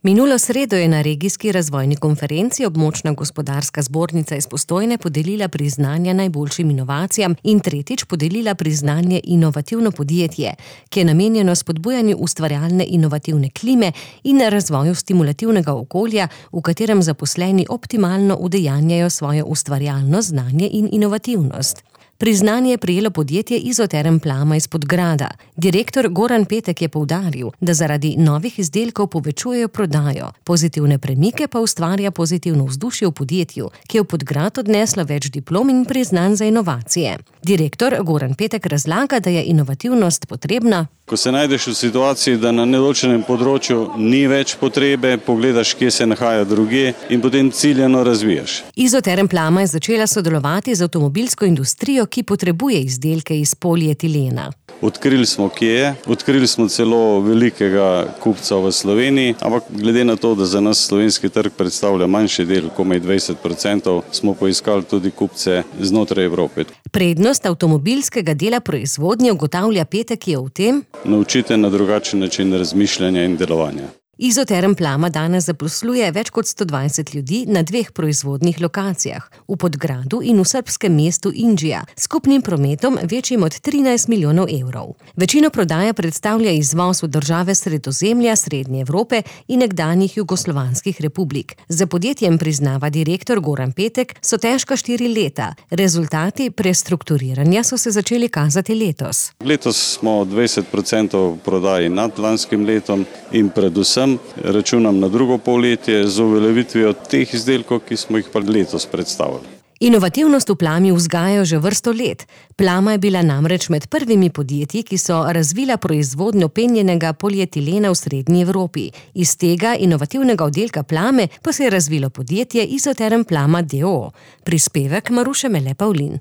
Minulo sredo je na regijski razvojni konferenci Območna gospodarska zbornica iz Postojne podelila priznanja najboljšim inovacijam in tretjič podelila priznanje Inovativno podjetje, ki je namenjeno spodbujanju ustvarjalne inovativne klime in razvoju stimulativnega okolja, v katerem zaposleni optimalno udejanjajo svojo ustvarjalnost, znanje in inovativnost. Priznanje je prejelo podjetje Izoterm Plama iz Podgrada. Direktor Goran Petek je poudaril, da zaradi novih izdelkov povečujejo prodajo, pozitivne premike pa ustvarja pozitivno vzdušje v podjetju, ki je v Podgrad odneslo več diplom in priznanj za inovacije. Direktor Goran Petek razlaga, da je inovativnost potrebna. Ko se najdeš v situaciji, da na nedoločenem področju ni več potrebe, pogledaš, kje se nahaja drugje in potem ciljano razvijaš. Izoterm Plama je začela sodelovati z avtomobilsko industrijo, ki potrebuje izdelke iz polietilena. Odkrili smo, kje je, odkrili smo celo velikega kupca v Sloveniji, ampak glede na to, da za nas slovenski trg predstavlja manjši del, komaj 20%, smo poiskali tudi kupce znotraj Evrope. Prednost avtomobilskega dela proizvodnje, ugotavlja Petek, je v tem: naučite na drugačen način razmišljanja in delovanja. Izoterm Plama danes zaposluje več kot 120 ljudi na 2 proizvodnih lokacijah, v Podgradu in v srbskem mestu Inđija, s skupnim prometom večjim od 13 milijonov evrov. Večino prodaje predstavlja izvoz v države Sredozemlja, Srednje Evrope in nekdanjih jugoslovanskih republik. Za podjetjem, priznava direktor Goran Petek, so težka 4 leta. Rezultati prestrukturiranja so se začeli kazati letos. Letos smo 20% prodaji nad lanskim letom in predvsem računam na drugo polletje z uveljavitvijo teh izdelkov, ki smo jih pa letos predstavili. Inovativnost v Plami vzgajajo že vrsto let. Plama je bila namreč med prvimi podjetji, ki so razvila proizvodnjo penjenega polietilena v Srednji Evropi. Iz tega inovativnega oddelka Plame pa se je razvilo podjetje Izoterm Plama d.o.o. Prispevek Maruše Mele Pavlin.